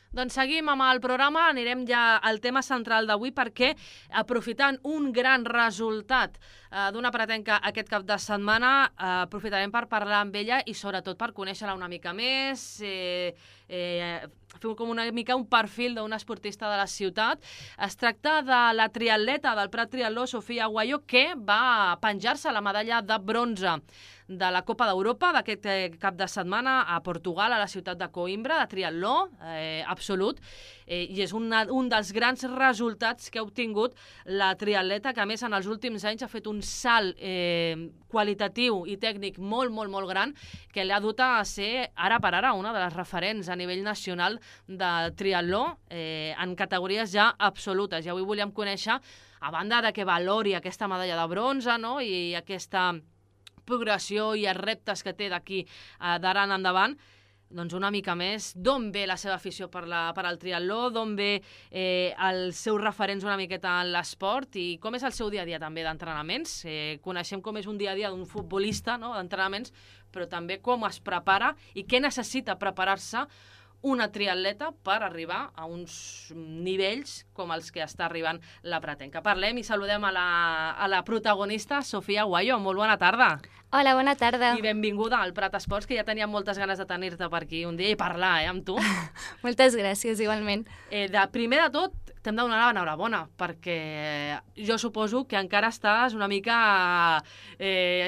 Doncs seguim amb el programa, anirem ja al tema central d'avui perquè aprofitant un gran resultat d'una pretenca aquest cap de setmana, aprofitarem per parlar amb ella i sobretot per conèixer-la una mica més, fer com una mica un perfil d'un esportista de la ciutat. Es tracta de la triatleta del Prat Triatló, Sofia Aguayo, que va penjar-se la medalla de bronze de la Copa d'Europa d'aquest cap de setmana a Portugal, a la ciutat de Coimbra, de triatló absolut, i és un dels grans resultats que ha obtingut la triatleta, que a més en els últims anys ha fet un salt qualitatiu i tècnic molt, molt, molt gran, que l'ha dut a ser, ara per ara, una de les referents a nivell nacional de triatló en categories ja absolutes. I avui volíem conèixer, a banda de que valori aquesta medalla de bronze, no?, i aquesta progressió i els reptes que té d'aquí d'ara en endavant, doncs una mica més d'on ve la seva afició per al triatló, d'on ve els seus referents una miqueta en l'esport i com és el seu dia a dia també d'entrenaments. Coneixem com és un dia a dia d'un futbolista, no?, d'entrenaments, però també com es prepara i què necessita preparar-se una triatleta per arribar a uns nivells com els que està arribant la pretenca. Parlem i saludem a la protagonista, Sofia Aguayo. Molt bona tarda. Hola, bona tarda. I benvinguda al Prat Esports, que ja tenia moltes ganes de tenir-te per aquí un dia i parlar amb tu. Moltes gràcies, igualment. Primer de tot, t'hem de donar l'enhorabona, perquè jo suposo que encara estàs una mica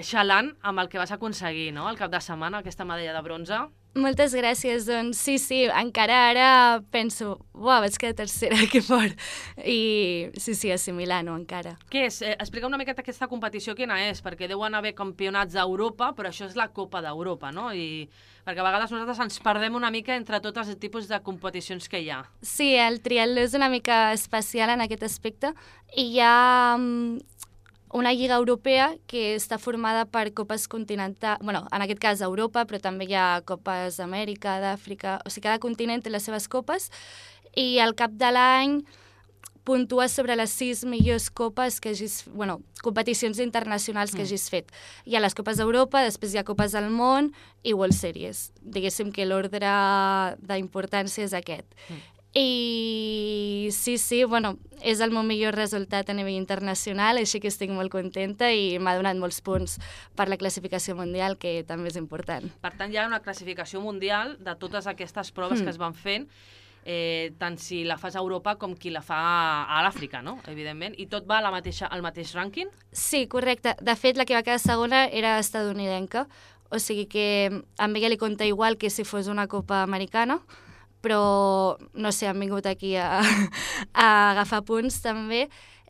xalant amb el que vas aconseguir, no?, al cap de setmana, aquesta medalla de bronze. Moltes gràcies, doncs sí, encara ara penso, vaig quedar tercera, que fort. I sí, assimilant-ho encara. Què és? Explica una miqueta aquesta competició, quina és, perquè deuen haver campionats d'Europa, però això és la Copa d'Europa, no? I perquè a vegades nosaltres ens perdem una mica entre tots els tipus de competicions que hi ha. Sí, el triatló és una mica especial en aquest aspecte i hi ha una lliga europea que està formada per copes continentals, bueno, en aquest cas Europa, però també hi ha copes d'Amèrica, d'Àfrica, o sigui, cada continent té les seves copes i al cap de l'any puntua sobre les 6 millors copes que hagis, bueno, competicions internacionals que hagis fet. Hi ha les copes d'Europa, després hi ha copes del món i World Series. Diguéssim que l'ordre d'importància és aquest. I sí, bueno, és el meu millor resultat a nivell internacional, així que estic molt contenta i m'ha donat molts punts per la classificació mundial, que també és important. Per tant, hi ha una classificació mundial de totes aquestes proves que es van fent, tant si la fas a Europa com qui la fa a l'Àfrica, no?, evidentment, i tot va al mateix rànquing? Sí, correcte. De fet, la que va quedar segona era estadounidenca, o sigui que a ella li compta igual que si fos una copa americana, però, no sé, han vingut aquí a agafar punts també,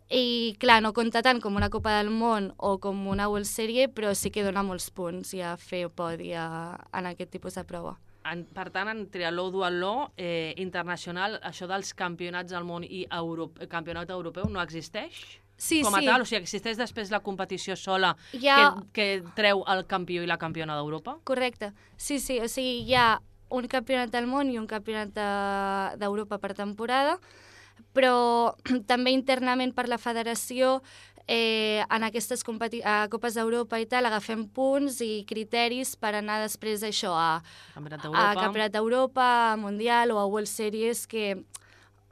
i clar, no compta tant com una Copa del Món o com una World Series, però sí que dona molts punts i a fer podi en aquest tipus de prova. Per tant, en triatló duatló internacional, això dels campionats del món i campionat europeu no existeix? Sí, com a tal, o sigui, existeix després la competició sola que treu el campió i la campiona d'Europa? Correcte, sí, o sigui, hi ha un campionat del món i un campionat d'Europa per temporada, però també internament per la federació en aquestes copes d'Europa i tal agafem punts i criteris per anar després d'això a Campionat d'Europa, a Mundial o a World Series,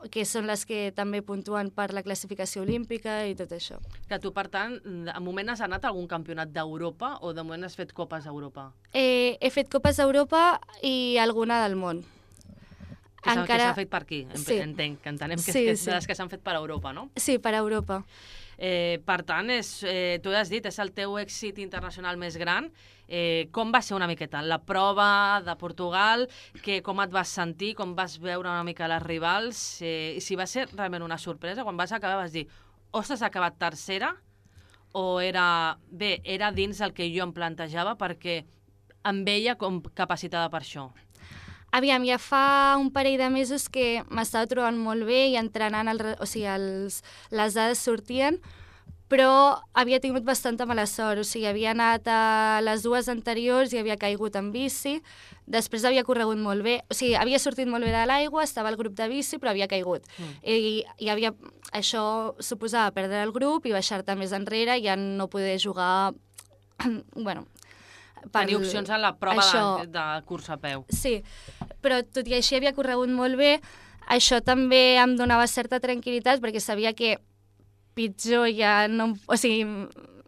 que són les que també puntuen per la classificació olímpica i tot això. Que tu, per tant, de moment has anat a algun campionat d'Europa o de moment has fet copes d'Europa? He fet copes d'Europa i alguna del món. Que s'ha fet per aquí, entenc, que entenem que és de les que s'han fet per Europa, no? Sí, per Europa. Per tant, tu has dit, és el teu èxit internacional més gran. Com va ser una miqueta la prova de Portugal? Com et vas sentir? Com vas veure una mica les rivals? I si va ser realment una sorpresa, quan vas acabar vas dir, ostres, ha acabat tercera? O era dins el que jo em plantejava perquè em veia com capacitada per això? Aviam, ja fa un parell de mesos que m'estava trobant molt bé i entrenant, les dades sortien, però havia tingut bastanta mala sort, o sigui, havia anat a les dues anteriors i havia caigut en bici, després havia corregut molt bé, o sigui, havia sortit molt bé de l'aigua, estava al grup de bici, però havia caigut. I això suposava perdre el grup i baixar-te més enrere i ja no poder jugar, bueno... Tenir opcions en la prova de cursa a peu. Sí, però tot i així havia corregut molt bé, Això també em donava certa tranquil·litat perquè sabia que pitjor ja no... O sigui,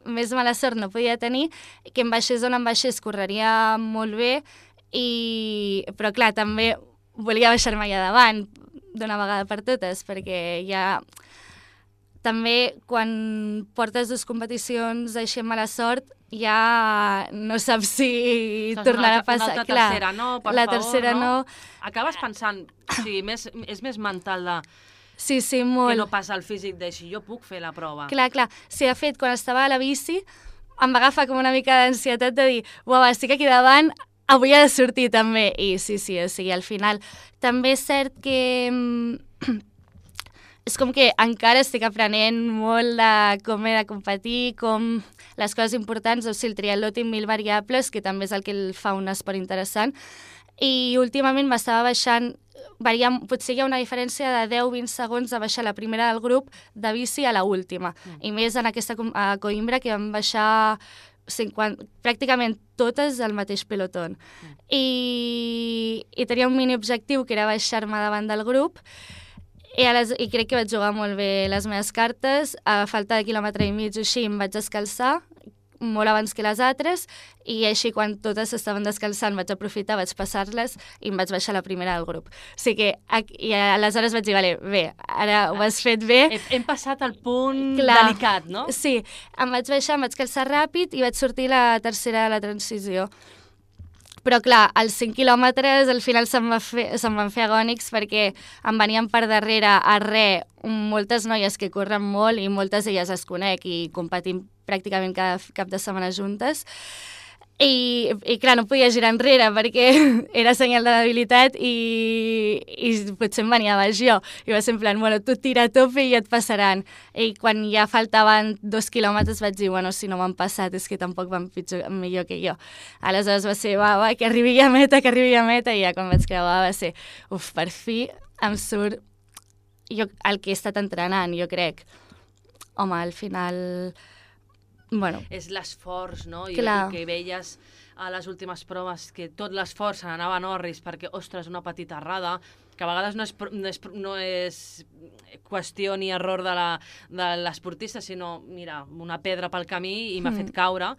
més mala sort no podia tenir, que em baixés on em baixés correria molt bé, però clar, també volia baixar-me allà davant d'una vegada per totes, perquè ja... També, quan portes 2 competicions així amb mala sort, ja no saps si tornarà a passar. Una altra tercera no, per la favor, tercera no. Acabes pensant, o sigui, és més mental de... Sí, molt. Que no passa el físic de si jo puc fer la prova. Clar. Sí, de fet, quan estava a la bici, em va agafar com una mica d'ansietat de dir, uau, estic aquí davant, avui ha de sortir també. I sí, o sigui, al final. També és cert que... és com que encara estic aprenent molt de com he de competir, com les coses importants, o sigui, el triatló té 1000 variables, que també és el que el fa un esport interessant, i últimament m'estava baixant, potser hi ha una diferència de 10-20 segons de baixar la primera del grup de bici a la última, i més en aquesta a Coimbra, que vam baixar 50, pràcticament totes al mateix pelotón. I tenia un mini objectiu, que era baixar-me davant del grup, i crec que vaig jugar molt bé les meves cartes. A falta de 1,5 quilòmetres o així em vaig descalçar, molt abans que les altres, i així quan totes estaven descalçant vaig aprofitar, vaig passar-les i em vaig baixar la primera del grup. O sigui que i aleshores vaig dir, vale, bé, ara ho has fet bé. Hem passat al punt delicat, no? Sí, em vaig baixar, em vaig calçar ràpid i vaig sortir la tercera de la transició. Però clar, als 5 quilòmetres al final se'm van fer agònics perquè em venien per darrere a moltes noies que corren molt i moltes d'elles les conec i competim pràcticament cada cap de setmana juntes. I clar, no podia girar enrere perquè era senyal de debilitat i potser em venia baix jo. I va ser en plan, bueno, tu tira a tope i et passaran. I quan ja faltaven 2 quilòmetres vaig dir, bueno, si no m'han passat és que tampoc van millor que jo. Aleshores va ser, va, que arribi a meta, i ja quan vaig creuar va ser, per fi em surt el que he estat entrenant, jo crec. Home, al final... Bueno. És l'esforç, no? I que veies a les últimes proves que tot l'esforç se n'anava a Norris perquè, ostres, una petita errada, que a vegades no és qüestió ni error de l'esportista, sinó, mira, una pedra pel camí i m'ha fet caure.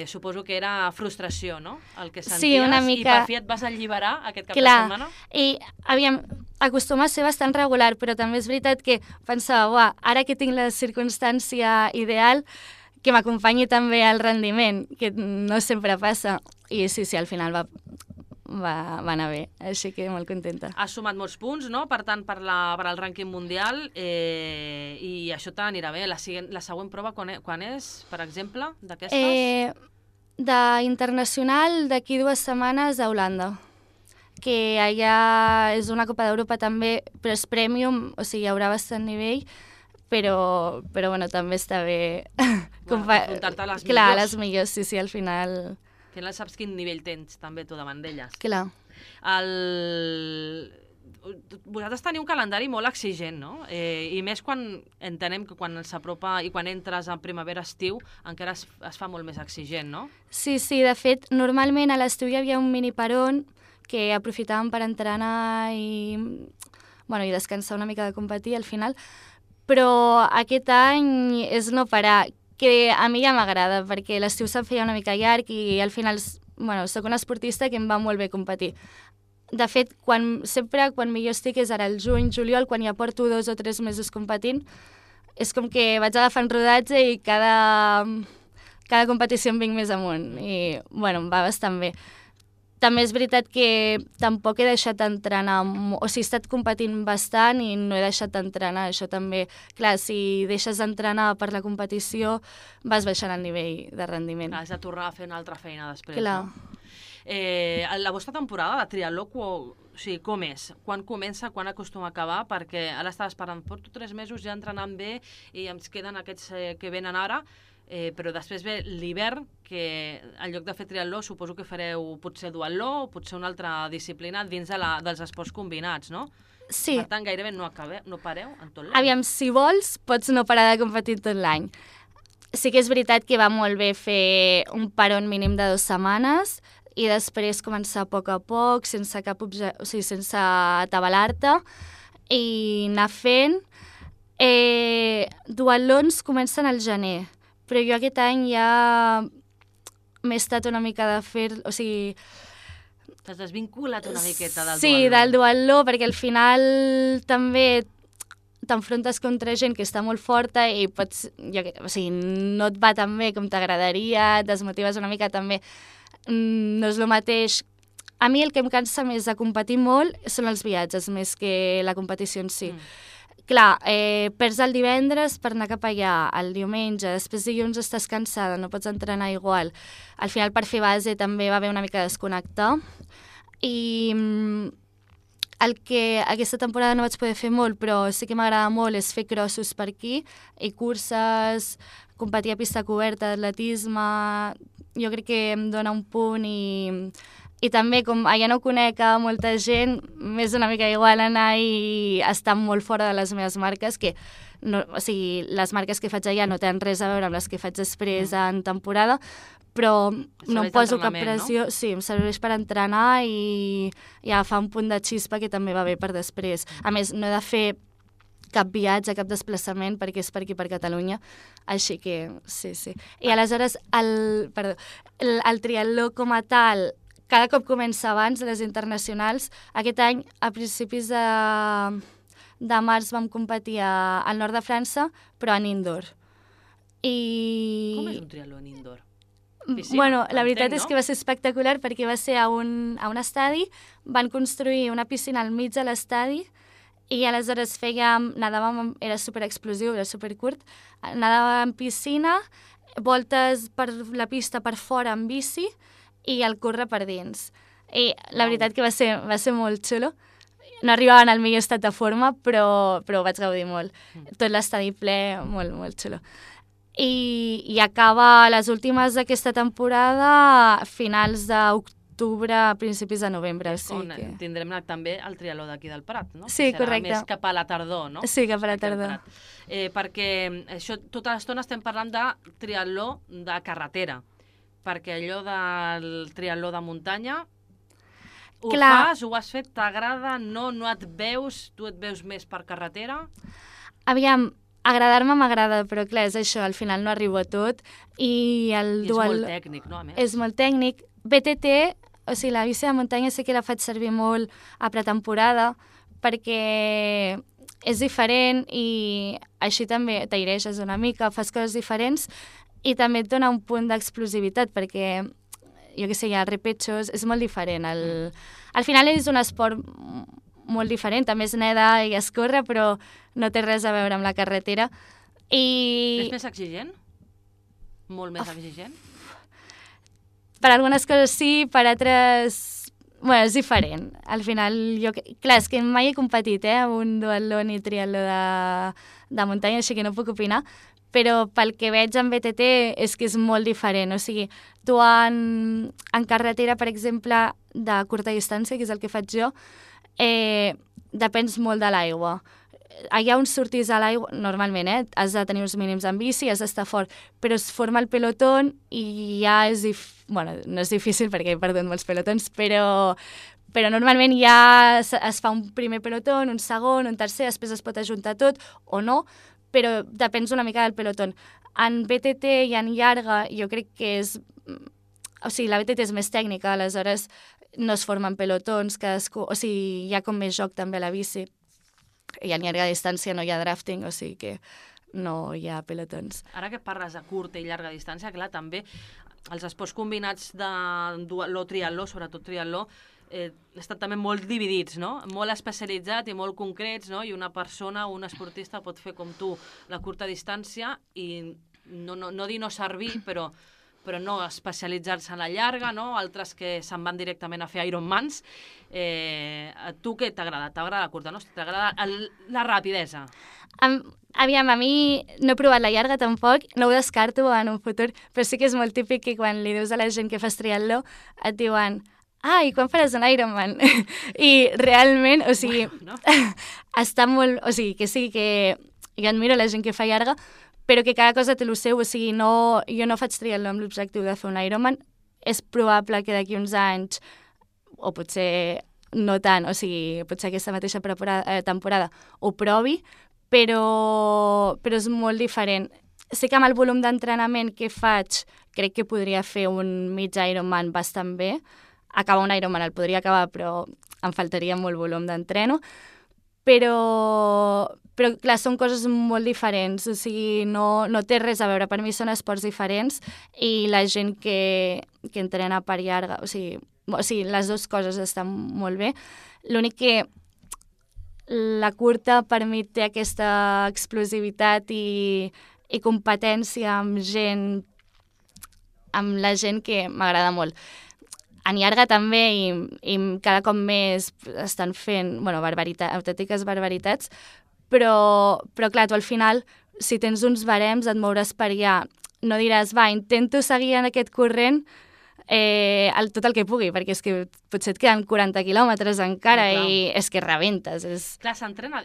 Suposo que era frustració, no? El que senties, sí, una mica... i per fi et vas alliberar aquest cap de setmana. I acostuma a ser bastant regular, però també és veritat que pensava, ara que tinc la circumstància ideal, que m'acompanyi també al rendiment, que no sempre passa. I sí, al final va anar bé, així que molt contenta. Has sumat molts punts, no?, per tant, per al rànquing mundial, i això t'anirà bé. La següent prova quan és, per exemple, d'aquestes? D'internacional, d'aquí 2 setmanes a Holanda, que allà és una Copa d'Europa també, però és premium, o sigui, hi haurà bastant nivell, però bueno, també està bé... Enfrontar-te a les millors. Clar, a les millors, sí, al final... Al final saps quin nivell tens també tu davant d'elles. Clar. Vosaltres teniu un calendari molt exigent, no? I més quan entenem que quan s'apropa i quan entres en primavera-estiu encara es fa molt més exigent, no? Sí, de fet, normalment a l'estiu hi havia un mini parón que aprofitàvem per entrenar i descansar una mica de competir al final, però aquest any és no parar, que a mi ja m'agrada, perquè l'estiu se'm feia una mica llarg i al final, soc una esportista que em va molt bé competir. De fet, sempre quan millor estic és ara el juny, juliol, quan ja porto 2 o 3 mesos competint, és com que vaig agafant rodatge i cada competició em vinc més amunt i, em va bastant bé. També és veritat que tampoc he deixat d'entrenar, o sigui, he estat competint bastant i no he deixat d'entrenar, això també. Clar, si deixes d'entrenar per la competició, vas baixant el nivell de rendiment. Clar, has de tornar a fer una altra feina després, clar. No? La vostra temporada de triatló, com és? Quan comença, quan acostuma a acabar? Perquè ara estava esperant, porto 3 mesos ja entrenant bé i ens queden aquests que venen ara, però després ve l'hivern, que en lloc de fer triatló suposo que fareu potser duatló o potser una altra disciplina dins dels esports combinats, no? Sí. Per tant, gairebé no pareu en tot l'any. Aviam, si vols, pots no parar de competir tot l'any. Sí que és veritat que va molt bé fer un parón mínim de 2 setmanes, i després començar a poc, sense sense atabalar-te, i anar fent. Duatlons comencen al gener, però jo aquest any ja m'he estat una mica de fer... O sigui... T'has desvinculat una miqueta del duatló. Sí, del duatló, perquè al final també t'enfrontes contra gent que està molt forta i pots... no et va tan bé com t'agradaria, et desmotives una mica també. No és el mateix. A mi el que em cansa més de competir molt són els viatges, més que la competició en si. Clar, perds el divendres per anar cap allà, el diumenge, després dilluns estàs cansada, no pots entrenar igual. Al final, per fer base, també va haver una mica de desconnectar. I el que aquesta temporada no vaig poder fer molt, però sí que m'agrada molt, és fer crossos per aquí, i curses, competir a pista coberta, atletisme... Jo crec que em dona un punt i també, com allà no conec a molta gent, m'és una mica igual anar i estar molt fora de les meves marques, que no, o sigui, les marques que faig allà no tenen res a veure amb les que faig després en temporada, però no em poso cap pressió. No? Sí, em serveix per entrenar i agafar un punt de xispa que també va bé per després. A més, no he de fer cap viatge, cap desplaçament, perquè és per aquí, per Catalunya. Així que, sí. I aleshores, el triatló com a tal, cada cop comença abans, les internacionals. Aquest any, a principis de març, vam competir al nord de França, però en indoor. Com és un triatló en indoor? Piscina, bueno, la veritat és que va ser espectacular perquè va ser a un estadi, van construir una piscina al mig de l'estadi i aleshores nadàvem, era superexplosiu, era supercurt, nadàvem en piscina, voltes per la pista per fora en bici i el córrer per dins. I la veritat que va ser molt xulo. No arribaven al millor estat de forma, però vaig gaudir molt. Tot l'estadi ple, molt, molt xulo. I acaba les últimes d'aquesta temporada a finals d'octubre, principis de novembre. On tindrem també el triatló d'aquí del Prat, no? Sí, correcte. Serà més cap a la tardor, no? Sí, cap a la tardor. Perquè això, tota l'estona estem parlant de triatló de carretera, perquè allò del triatló de muntanya fas, ho has fet, t'agrada, no et veus, tu et veus més per carretera? Aviam, agradar-me m'agrada, però clar, és això, al final no arribo a tot. I és molt tècnic, no, a més? És molt tècnic. BTT, o sigui, la bici de muntanya sí que la faig servir molt a pretemporada, perquè és diferent i així també t'aireixes una mica, fas coses diferents i també et dona un punt d'explosivitat, perquè, jo què sé, hi ha repechos, és molt diferent. Al final és un esport molt diferent, també es neda i es corre, però no té res a veure amb la carretera. És més exigent? Molt més exigent? Per algunes coses sí, per altres... Bueno, és diferent. Al final, clar, és que mai he competit, un duatló ni triatló de muntanya, així que no puc opinar, però pel que veig en BTT és que és molt diferent. O sigui, tu en carretera, per exemple, de curta distància, que és el que faig jo, depens molt de l'aigua. Allà on surtis a l'aigua, normalment, has de tenir uns mínims en bici, has d'estar fort, però es forma el pelotón i ja és bueno, no és difícil perquè he perdut molts pelotons, però normalment ja es fa un primer pelotón, un segon, un tercer, després es pot ajuntar tot o no, però depèn una mica del pelotón. En BTT i en llarga jo crec que és... O sigui, la BTT és més tècnica, aleshores no es formen pelotons, cadascú... O sigui, hi ha com més joc també a la bici. I en llarga distància no hi ha drafting, o sigui que no hi ha pelotons. Ara que parles de curta i llarga distància, clar, també els esports combinats de duatló, triatló, sobretot triatló, estan també molt dividits, no? Molt especialitzats i molt concrets, no? I una persona, un esportista pot fer com tu la curta distància i no dir no servir, però no especialitzar-se en la llarga, no? Altres que se'n van directament a fer Ironmans. A tu què t'agrada? T'agrada la curta, no? T'agrada la rapidesa? Aviam, a mi no he provat la llarga tampoc, no ho descarto en un futur, però sí que és molt típic que quan li dius a la gent que fas triatló et diuen i quan faràs un Ironman? I realment, o sigui, bueno, no? Està molt... O sigui, que sí, que jo admiro la gent que fa llarga, però que cada cosa té el seu, o sigui, jo no faig triatló amb l'objectiu de fer un Ironman, és probable que d'aquí uns anys, o potser no tant, o sigui, potser aquesta mateixa temporada ho provi, però és molt diferent. Sí que amb el volum d'entrenament que faig, crec que podria fer un mig Ironman bastant bé. Acabar un Ironman el podria acabar, però em faltaria molt volum d'entreno. Però clar, són coses molt diferents, o sigui, no té res a veure. Per mi són esports diferents i la gent que entrena per llarga, o sigui, les dues coses estan molt bé. L'únic que la curta per mi té aquesta explosivitat i competència amb la gent que m'agrada molt. En llarga també, i cada cop més estan fent, autèntiques barbaritats, però clar, tu al final, si tens uns barems, et mouràs per allà. No diràs, intento seguir en aquest corrent tot el que pugui, perquè és que potser et queden 40 quilòmetres encara i és que rebentes. Clar,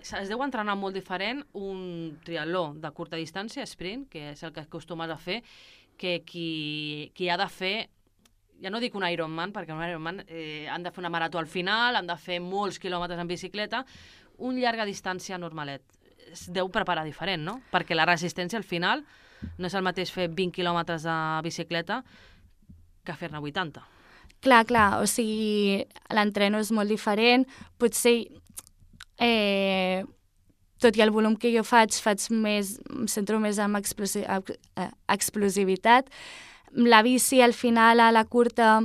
es deu entrenar molt diferent un triatló de curta distància, sprint, que és el que acostumes a fer, que qui ha de fer, ja no dic un Ironman, perquè un Ironman han de fer una marató al final, han de fer molts quilòmetres en bicicleta, un llarga distància normalet. Es deu preparar diferent, no? Perquè la resistència al final no és el mateix fer 20 quilòmetres de bicicleta que fer-ne 80. Clar, o sigui, l'entreno és molt diferent, potser tot i el volum que jo faig més, em centro més en explosivitat. La bici al final a la curta,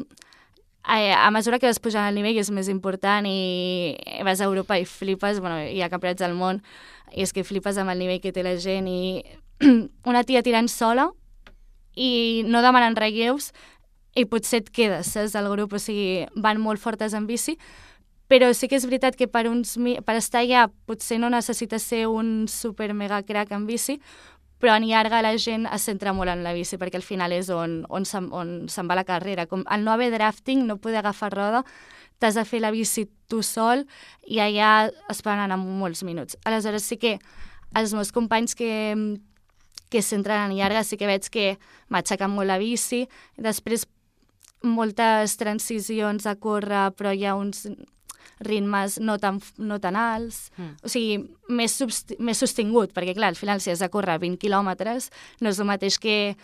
a mesura que vas pujant el nivell és més important i vas a Europa i flipes, hi ha campionats del món i és que flipes amb el nivell que té la gent i una tia tirant sola i no demanen relleus i potser et quedes, saps, del grup, o sigui, van molt fortes en bici, però sí que és veritat que per estar allà potser no necessites ser un super mega crack en bici, però en llarga la gent es centra molt en la bici, perquè al final és on se'n va la carrera. Com al no haver drafting, no poder agafar roda, t'has de fer la bici tu sol i allà es poden anar molts minuts. Aleshores sí que els meus companys que es centren en llarga sí que veig que m'aixequen molt la bici, després moltes transicions a córrer, però hi ha uns ritmes no tan alts, o sigui, més sostingut, perquè clar, al final si has de córrer 20 quilòmetres no és el mateix que...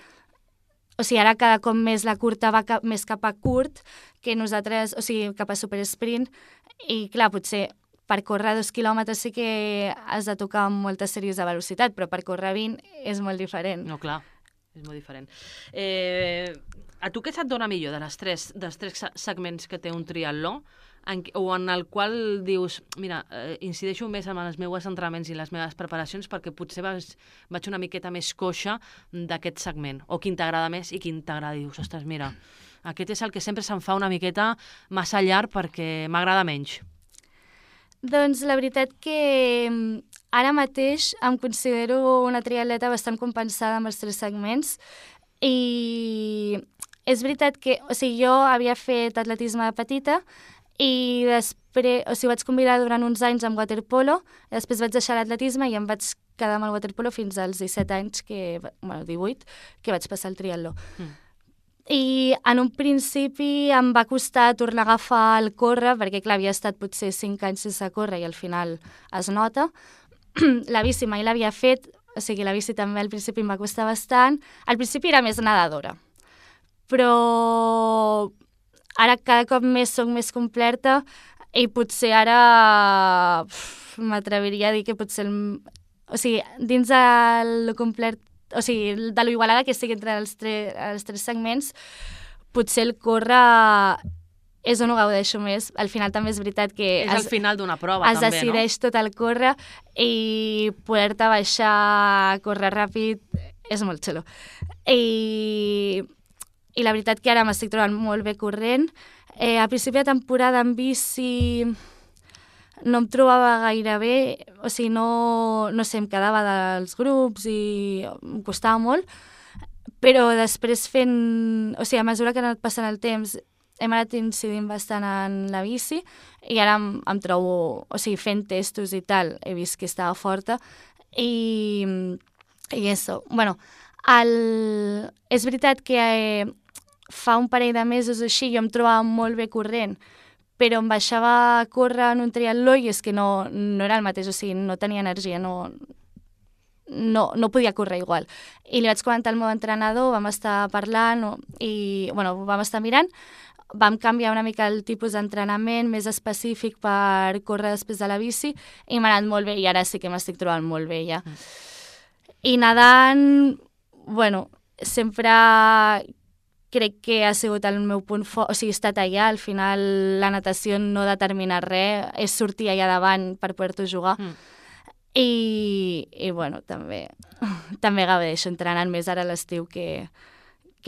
O sigui, ara cada cop més la curta va més cap a curt que nosaltres, o sigui, cap a supersprint, i clar, potser per córrer 2 quilòmetres sí que has de tocar amb moltes sèries de velocitat, però per córrer 20 és molt diferent. No, clar, és molt diferent. A tu què se't dona millor dels tres segments que té un triatló, o en el qual dius, mira, incideixo més en els meus entrenaments i les meves preparacions perquè potser vaig una miqueta més coixa d'aquest segment, o quin t'agrada més i quin t'agrada, dius, ostres, mira, aquest és el que sempre se'm fa una miqueta massa llarg perquè m'agrada menys. Doncs la veritat que ara mateix em considero una triatleta bastant compensada amb els 3 segments i és veritat que, o sigui, jo havia fet atletisme de petita i després, o sigui, vaig combinar durant uns anys amb waterpolo, després vaig deixar l'atletisme i em vaig quedar amb el waterpolo fins als 17 anys, 18, que vaig passar el triatló. I en un principi em va costar tornar a agafar el córrer, perquè clar, havia estat potser 5 anys sense córrer i al final es nota. La bici mai l'havia fet, o sigui, la bici també al principi em va costar bastant. Al principi era més nedadora, però ara cada cop més soc més completa i potser ara m'atreviria a dir que potser, o sigui, dins del complet, o sigui, de lo igualada que estic entre els 3 segments, potser el córrer és on ho gaudeixo més. Al final també és veritat que... És al final d'una prova, també, no? Es decideix tot el córrer i poder-te baixar a córrer ràpid és molt xulo. I la veritat que ara m'estic trobant molt bé corrent. A principi de temporada en bici no em trobava gaire bé, o sigui, no sé, em quedava dels grups i em costava molt, però després o sigui, a mesura que ha anat passant el temps hem anat incidint bastant en la bici i ara em trobo, o sigui, fent testos i tal, he vist que estava forta i això. Bueno, és veritat que fa un parell de mesos així jo em trobava molt bé corrent, però em baixava a córrer en un triatló i és que no era el mateix, o sigui, no tenia energia, no podia córrer igual. I li vaig comentar al meu entrenador, vam estar parlant i, bueno, vam estar mirant, vam canviar una mica el tipus d'entrenament més específic per córrer després de la bici i m'ha anat molt bé i ara sí que m'estic trobant molt bé ja. I nedant, bueno, sempre crec que ha sigut el meu punt fort, o sigui, he estat allà, al final la natació no determina res, és sortir allà davant per poder-t'ho jugar. I bueno, també gaudeixo entrenant més ara a l'estiu que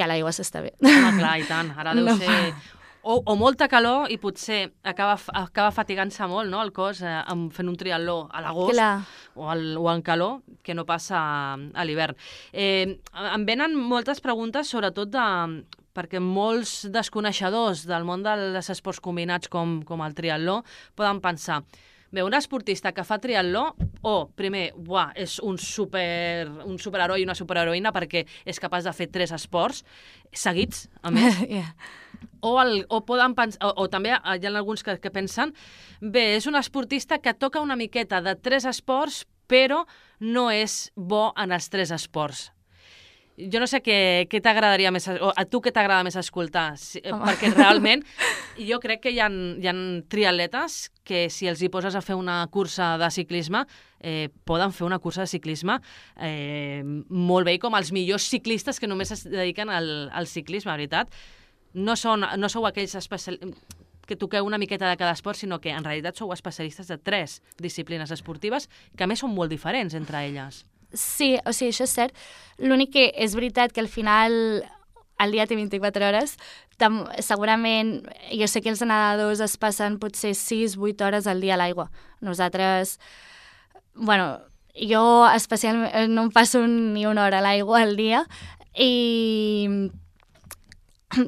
a l'aigua s'està bé. Home, clar, i tant, ara deu ser... O molta calor i potser acaba fatigant-se molt, no?, el cos fent un triatló a l'agost o en calor, que no passa a l'hivern. Em venen moltes preguntes, sobretot perquè molts desconeixedors del món dels esports combinats com el triatló poden pensar: bé, un esportista que fa triatló, primer, és un superheroi i una superheroïna perquè és capaç de fer 3 esports seguits, a més. O poden pensar, o també hi ha alguns que pensen, bé, és un esportista que toca una miqueta de 3 esports, però no és bo en els 3 esports. Jo no sé què t'agradaria més, o a tu què t'agrada més escoltar, perquè realment jo crec que hi ha triatletes que si els hi poses a fer una cursa de ciclisme, poden fer una cursa de ciclisme molt bé, com els millors ciclistes que només es dediquen al ciclisme, veritat. No sou aquells que toqueu una miqueta de cada esport, sinó que en realitat sou especialistes de 3 disciplines esportives que a més són molt diferents entre elles. Sí, o sigui, això és cert. L'únic que és veritat que al final el dia té 24 hores. Segurament, jo sé que els nedadors es passen potser 6-8 hores al dia a l'aigua. Nosaltres, bueno, jo especialment no em passo ni una hora a l'aigua al dia i...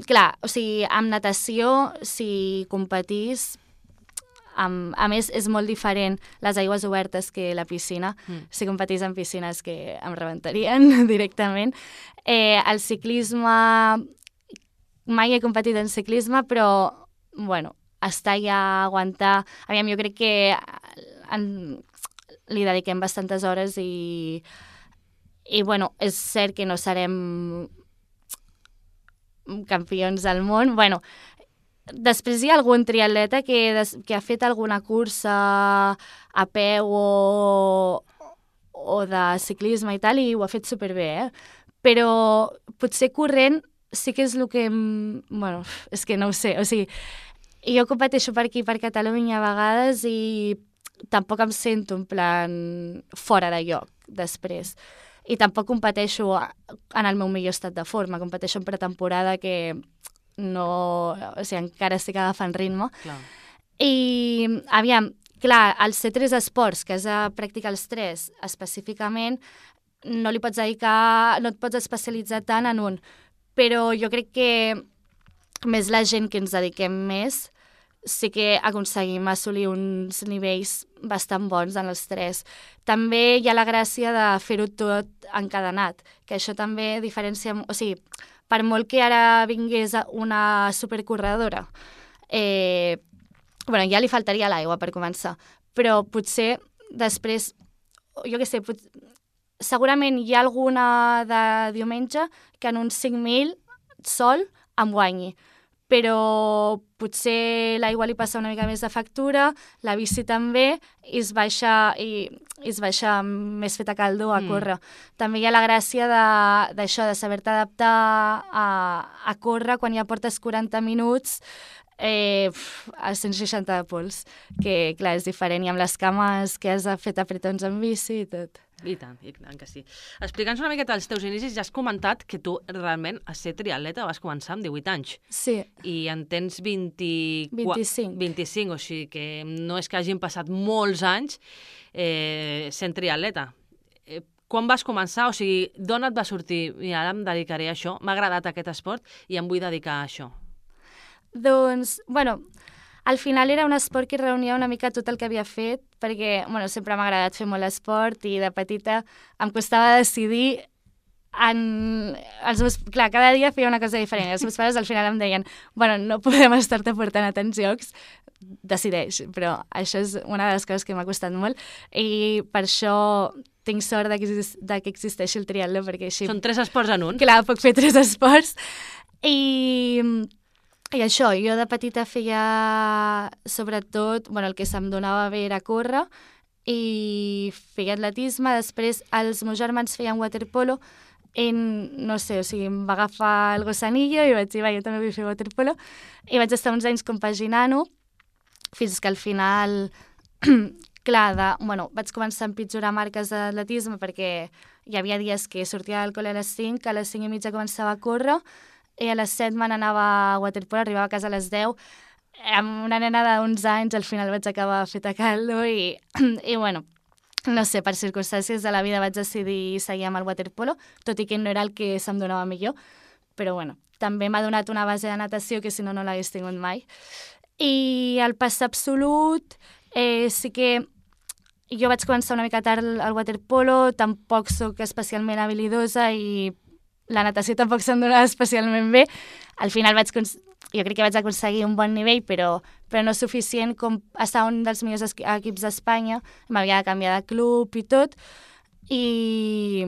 Clar, o sigui, amb natació, si competís, a més, és molt diferent les aigües obertes que la piscina. Si competís en piscines que em rebentarien directament. El ciclisme... Mai he competit en ciclisme, però, bueno, estar allà, aguantar... Aviam, jo crec que li dediquem bastantes hores i bueno, és cert que no serem campions del món. Bueno, després hi ha algun triatleta que ha fet alguna cursa a peu o de ciclisme i tal, i ho ha fet superbé, Però potser corrent sí que és el que... Bueno, és que no ho sé, o sigui, jo competeixo per aquí, per Catalunya a vegades i tampoc em sento en plan fora de lloc després. I tampoc competeixo en el meu millor estat de forma, competeixo en pretemporada que no... O sigui, encara estic agafant ritme. Clar. I, aviam, clar, els ser 3 esports, que has de practicar els 3 específicament, no li pots dedicar, no et pots especialitzar tant en un. Però jo crec que més la gent que ens dediquem més sí que aconseguim assolir uns nivells bastant bons en els 3. També hi ha la gràcia de fer-ho tot encadenat, que això també diferencia... O sigui, per molt que ara vingués una supercorredora, bueno, ja li faltaria l'aigua per començar, però potser després, jo què sé, segurament hi ha alguna de diumenge que en uns 5.000 sol em guanyi, però potser l'aigua li passa una mica més de factura, la bici també, i es baixa més feta caldo a córrer. També hi ha la gràcia d'això, de saber-te adaptar a córrer quan ja portes 40 minuts a 160 de pols, que clar, és diferent, i amb les cames que has fet apretons en bici i tot. I tant que sí. Explica'ns una miqueta els teus inicis. Ja has comentat que tu realment a ser triatleta vas començar amb 18 anys. Sí. I en tens 25, o sigui que no és que hagin passat molts anys sent triatleta. Quan vas començar? O sigui, d'on et va sortir? I ara em dedicaré a això. M'ha agradat aquest esport i em vull dedicar a això. Doncs, bueno... Al final era un esport que reunia una mica tot el que havia fet, perquè bueno, sempre m'ha agradat fer molt esport i de petita em costava decidir clar, cada dia feia una cosa diferent. Els meus pares al final em deien, bueno, no podem estar-te portant a tants jocs, decideix. Però això és una de les coses que m'ha costat molt i per això tinc sort de que existeixi el triatló, perquè així... Són 3 esports en un. Clar, puc fer 3 esports. I això, jo de petita feia, sobretot, bueno, el que se'm donava bé era córrer i feia atletisme. Després els meus germans feien waterpolo i no sé, o sigui, em va agafar el gossanillo i vaig dir, va, jo també vull fer waterpolo. I vaig estar uns anys compaginant-ho fins que al final... Clar, vaig començar a empitjorar marques d'atletisme perquè hi havia dies que sortia del col·le a les 5, a les 5 i mitja començava a córrer i a les 7 me n'anava a waterpolo, arribava a casa a les 10. Amb una nena d'11 anys al final vaig acabar feta caldo i bueno, no sé, per circumstàncies de la vida vaig decidir seguir amb el waterpolo, tot i que no era el que se'm donava millor, però bueno, també m'ha donat una base de natació que si no, no l'hagués tingut mai. I el pas absolut... sí que jo vaig començar una mica tard al waterpolo, tampoc sóc especialment habilidosa i la natació tampoc se'm donava especialment bé. Al final jo crec que vaig aconseguir un bon nivell, però no suficient com estar un dels millors equips d'Espanya. M'havia de canviar de club i tot. I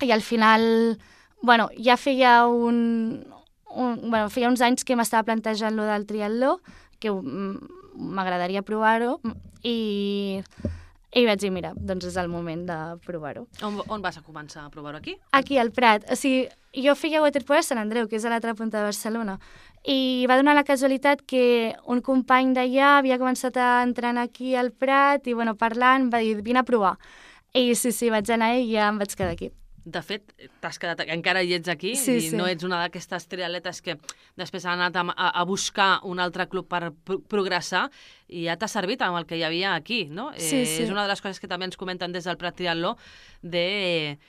al final, bueno, ja feia feia uns anys que m'estava plantejant lo del triatló, que m'agradaria provar-ho i vaig dir, mira, doncs és el moment de provar-ho. On vas a començar a provar-ho? Aquí? Aquí, al Prat. O sigui, jo feia waterpolo a Sant Andreu, que és a l'altra punta de Barcelona, i va donar la casualitat que un company d'allà havia començat a entrenar aquí al Prat i, bueno, parlant, va dir, vine a provar. I sí, vaig anar i ja em vaig quedar aquí. De fet, t'has quedat, encara hi ets aquí i no ets una d'aquestes triatletes que després han anat a buscar un altre club per progressar i ja t'ha servit amb el que hi havia aquí, no? Sí. És una de les coses que també ens comenten des del Prat Triatló de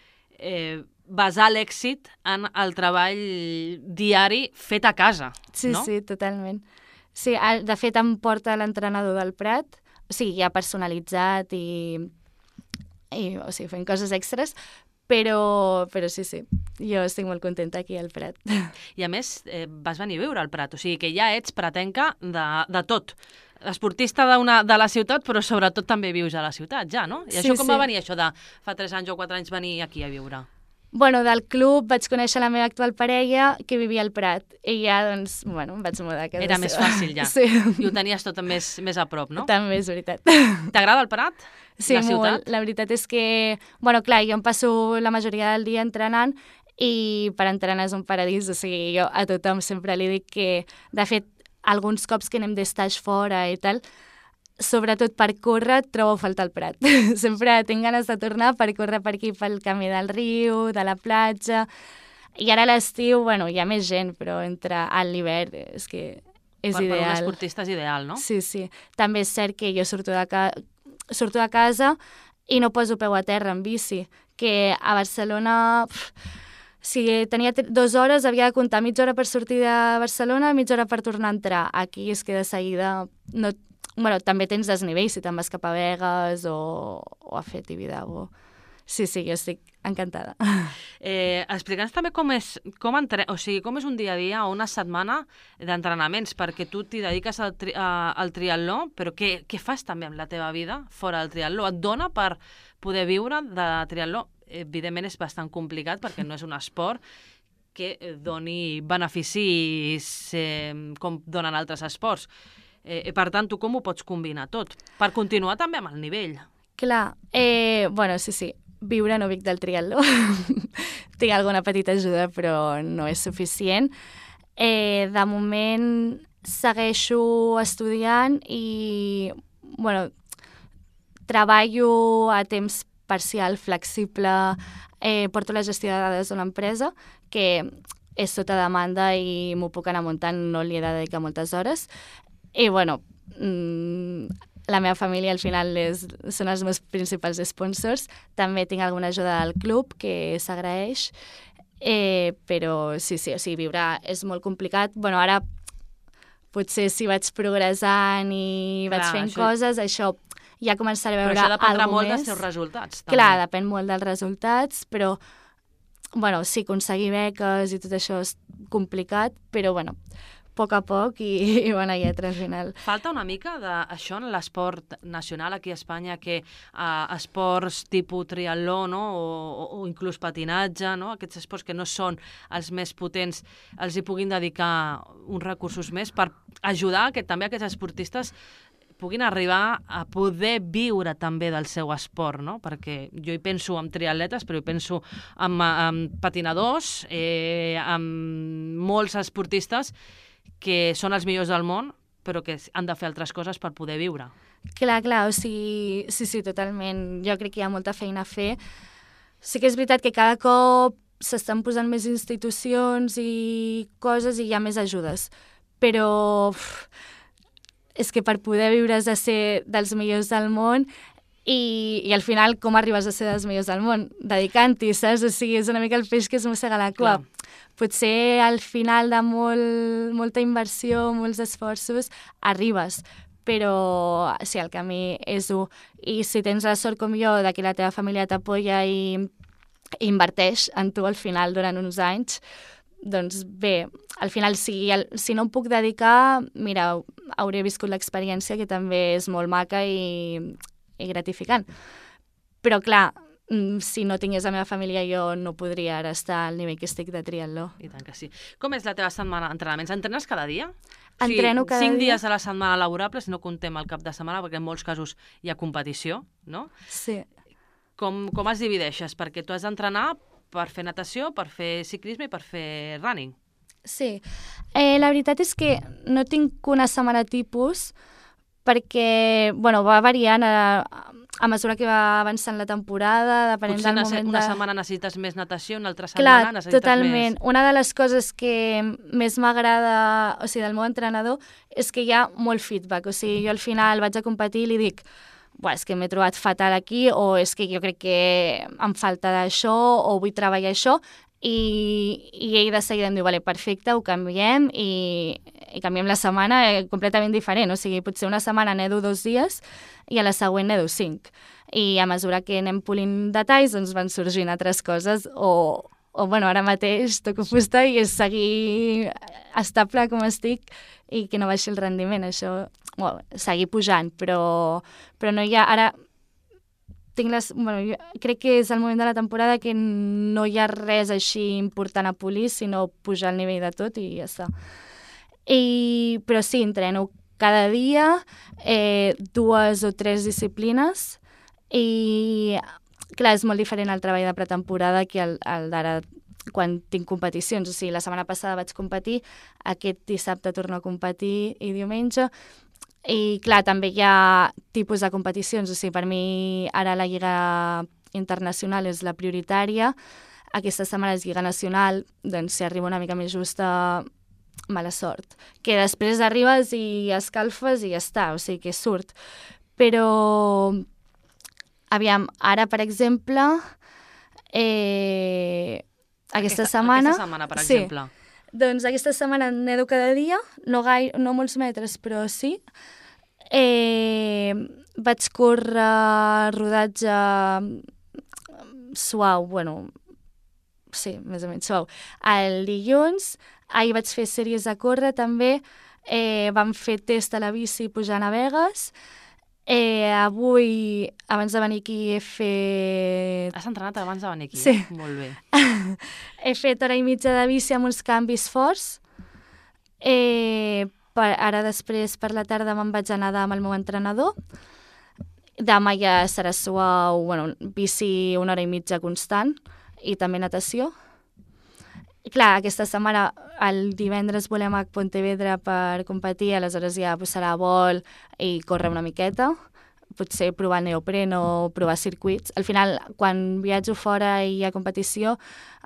basar l'èxit en el treball diari fet a casa, no? Sí, totalment. Sí, de fet em porta l'entrenador del Prat, o sigui, ja personalitzat i o sigui, fent coses extres, però sí, jo estic molt contenta aquí al Prat. I a més, vas venir a viure al Prat, o sigui que ja ets pratenca de tot. Esportista de la ciutat, però sobretot també vius a la ciutat, ja, no? I això com va venir, això de fa 3 anys o 4 anys venir aquí a viure? Bueno, del club vaig conèixer la meva actual parella que vivia al Prat i ja, doncs, bueno, em vaig mudar a casa. Era més fàcil ja. Sí. I ho tenies tot més a prop, no? També és veritat. T'agrada el Prat? Sí, molt. La veritat és que, bueno, clar, jo em passo la majoria del dia entrenant i per entrenar és un paradís, o sigui, jo a tothom sempre li dic que, de fet, alguns cops que anem d'estaix fora i tal, sobretot per córrer, trobo a faltar el Prat. Sempre tinc ganes de tornar per córrer per aquí, pel camí del riu, de la platja. I ara a l'estiu, bueno, hi ha més gent, però entre l'hivern és que és ideal. Per un esportista és ideal, no? Sí. També és cert que jo surto de casa i no poso peu a terra en bici, que a Barcelona... Si tenia 2 hores, havia de comptar mitja hora per sortir de Barcelona, mitja hora per tornar a entrar. Aquí és que de seguida... Bueno, també tens desnivell si te'n vas cap a Begues o a fer Tibidabo. Sí, jo estic encantada. Explica'ns també com és un dia a dia o una setmana d'entrenaments, perquè tu t'hi dediques al triatló, però què fas també amb la teva vida fora del triatló? Et dona per poder viure de triatló? Evidentment és bastant complicat perquè no és un esport que doni beneficis com donen altres esports. Per tant, tu com ho pots combinar tot? Per continuar també amb el nivell. Clar, bueno, sí, viure no vic del triatló. Tinc alguna petita ajuda, però no és suficient. De moment segueixo estudiant i, bueno, treballo a temps parcial, flexible, porto la gestió de dades d'una empresa que és sota demanda i m'ho puc anar muntant, no li he de dedicar moltes hores. I, bueno, la meva família al final són els meus principals sponsors. També tinc alguna ajuda del club, que s'agraeix, però sí, o sigui, viure és molt complicat. Bueno, ara potser si vaig progressant i vaig fent coses, això ja començaré a veure alguna més. Però això dependrà molt dels teus resultats. També. Clar, depèn molt dels resultats, però bueno, sí, aconseguir beques i tot això és complicat, però bueno, a poc a poc i bona lletra al final. Falta una mica d'això en l'esport nacional aquí a Espanya, que esports tipus triatló, no? o inclús patinatge, no? Aquests esports que no són els més potents, els hi puguin dedicar uns recursos més per ajudar que també aquests esportistes puguin arribar a poder viure també del seu esport, no? Perquè jo hi penso en triatletes, però hi penso en patinadors, en molts esportistes que són els millors del món, però que han de fer altres coses per poder viure. Clar, o sigui, sí, totalment. Jo crec que hi ha molta feina a fer. Sí que és veritat que cada cop s'estan posant més institucions i coses i hi ha més ajudes, però és que per poder viure has de ser dels millors del món i al final com arribes a ser dels millors del món? Dedicant-hi, saps? O sigui, és una mica el peix que es mossega la cua. Clar. Potser al final de molta inversió, molts esforços, arribes, però sí, el camí és dur. I si tens la sort com jo de que la teva família t'apoya i inverteix en tu al final durant uns anys, doncs bé, al final si no em puc dedicar, mira, hauré viscut l'experiència, que també és molt maca i gratificant. Però clar, si no tingués la meva família jo no podria ara estar al nivell que estic de triatló. I tant que sí. Com és la teva setmana d'entrenaments? Entrenes cada dia? Entreno cada dia. 5 dies a la setmana laborables, no comptem el cap de setmana, perquè en molts casos hi ha competició, no? Sí. Com es divideixes? Perquè tu has d'entrenar per fer natació, per fer ciclisme i per fer running. Sí. La veritat és que no tinc una setmana tipus perquè, bueno, va variant a mesura que va avançant la temporada, depenent del moment Potser una setmana necessites més natació, una altra setmana necessites totalment. més... Una de les coses que més m'agrada, o sigui, del meu entrenador, és que hi ha molt feedback. O sigui, jo al final vaig a competir i li dic és que m'he trobat fatal aquí, o és que jo crec que em falta d'això, o vull treballar això, i ell de seguida em diu, vale, perfecte, ho canviem, i canviem la setmana completament diferent. O sigui, potser una setmana nedo 2 dies i a la següent nedo 5. I a mesura que anem polint detalls, doncs van sorgint altres coses, o bueno, ara mateix toco fusta i és seguir estable com estic i que no baixi el rendiment, això, seguir pujant, però no hi ha, ara jo crec que és el moment de la temporada que no hi ha res així important a polir, sinó pujar el nivell de tot i ja està. Però sí, entreno cada dia 2 o 3 disciplines i clar, és molt diferent el treball de pretemporada que el d'ara quan tinc competicions. O sigui, la setmana passada vaig competir, aquest dissabte torno a competir i diumenge. I clar, també hi ha tipus de competicions. O sigui, per mi ara la Lliga Internacional és la prioritària. Aquesta setmana és Lliga Nacional, doncs si arriba una mica més justa, mala sort. Que després arribes i escalfes i ja està, o sigui que surt. Però, aviam, ara, per exemple, aquesta setmana, per exemple. Sí, doncs aquesta setmana nedo cada dia, no molts metres, però sí. Vaig córrer rodatge suau, sí, més o menys suau. El dilluns, ahir vaig fer sèries de córrer també, vam fer test a la bici pujant a Begues. Avui, abans de venir aquí, he fet... Has entrenat abans de venir aquí? Sí. Molt bé. He fet 1 hora i mitja de bici amb uns canvis forts. Ara després, per la tarda, me'n vaig a nedar amb el meu entrenador. Demà ja serà suau, bici 1 hora i mitja constant i també natació. I clar, aquesta setmana, el divendres volem a Pontevedra per competir, aleshores ja serà vol i córrer una miqueta, potser provar neopreno, provar circuits. Al final, quan viatjo fora i hi ha competició,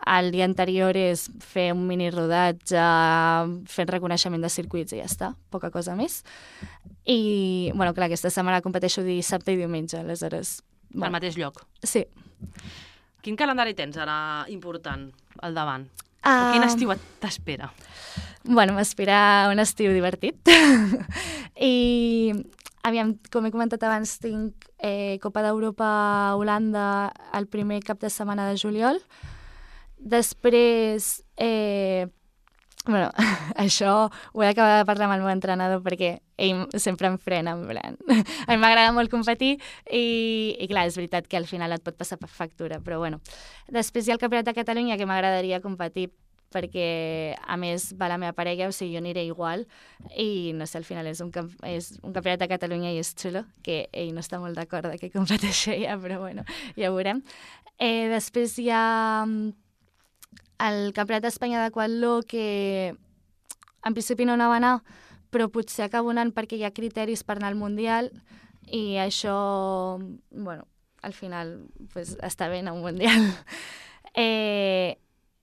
el dia anterior és fer un mini rodatge, fent reconeixement de circuits i ja està, poca cosa més. I, clar, aquesta setmana competeixo dissabte i diumenge, aleshores... Al mateix lloc? Sí. Quin calendari tens ara important al davant? O quin estiu t'espera? M'espera un estiu divertit. I, aviam, com he comentat abans, tinc Copa d'Europa a Holanda el primer cap de setmana de juliol. Després, bueno, això ho he d'acabar de parlar amb el meu entrenador perquè ell sempre em frena, en plan. A mi m'agrada molt competir i clar, és veritat que al final et pot passar per factura, però bueno. Després hi ha el Campionat de Catalunya que m'agradaria competir perquè, a més, va la meva parella, o sigui, jo aniré igual, i no sé, al final és un campionat de Catalunya i és xulo, que ell no està molt d'acord que competeixi ella, però bueno, ja ho veurem. Després hi ha el Campionat d'Espanya d'Aquatló, que en principi no anava a anar, però potser acabo anant perquè hi ha criteris per anar al Mundial, i això, bueno, al final pues, està bé anar a un Mundial.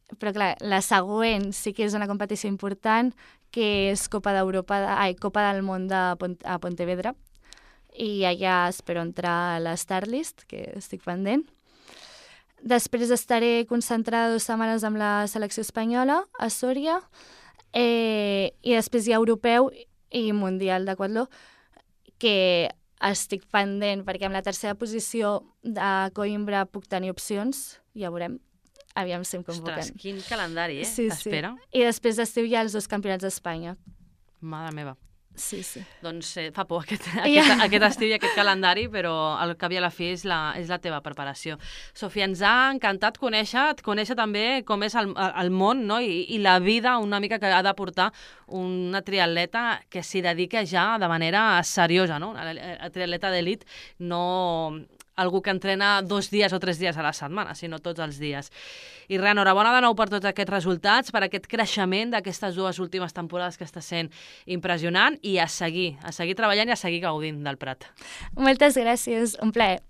Però clar, la següent sí que és una competició important, que és Copa del Món a Pontevedra, i allà espero entrar a la Starlist, que estic pendent. Després estaré concentrada 2 setmanes amb la selecció espanyola a Sòria, i després hi ha europeu i mundial d'Aquatló, que estic pendent perquè amb la tercera posició de Coimbra puc tenir opcions, ja veurem. Aviam si em convoquen. Ostres, quin calendari, Sí. T'espera. I després d'estiu hi ha els 2 campionats d'Espanya. Mare meva. Sí. Doncs fa por aquest estiu i aquest calendari, però al cap i a la fi és la teva preparació. Sofia, ens ha encantat conèixer també com és el món, no? I la vida una mica que ha de portar una triatleta que s'hi dedica ja de manera seriosa, no? Una triatleta d'elit, no algú que entrena 2 dies o 3 dies a la setmana, sinó tots els dies. I res, enhorabona de nou per tots aquests resultats, per aquest creixement d'aquestes 2 últimes temporades que està sent impressionant, i a seguir treballant i a seguir gaudint del Prat. Moltes gràcies, un plaer.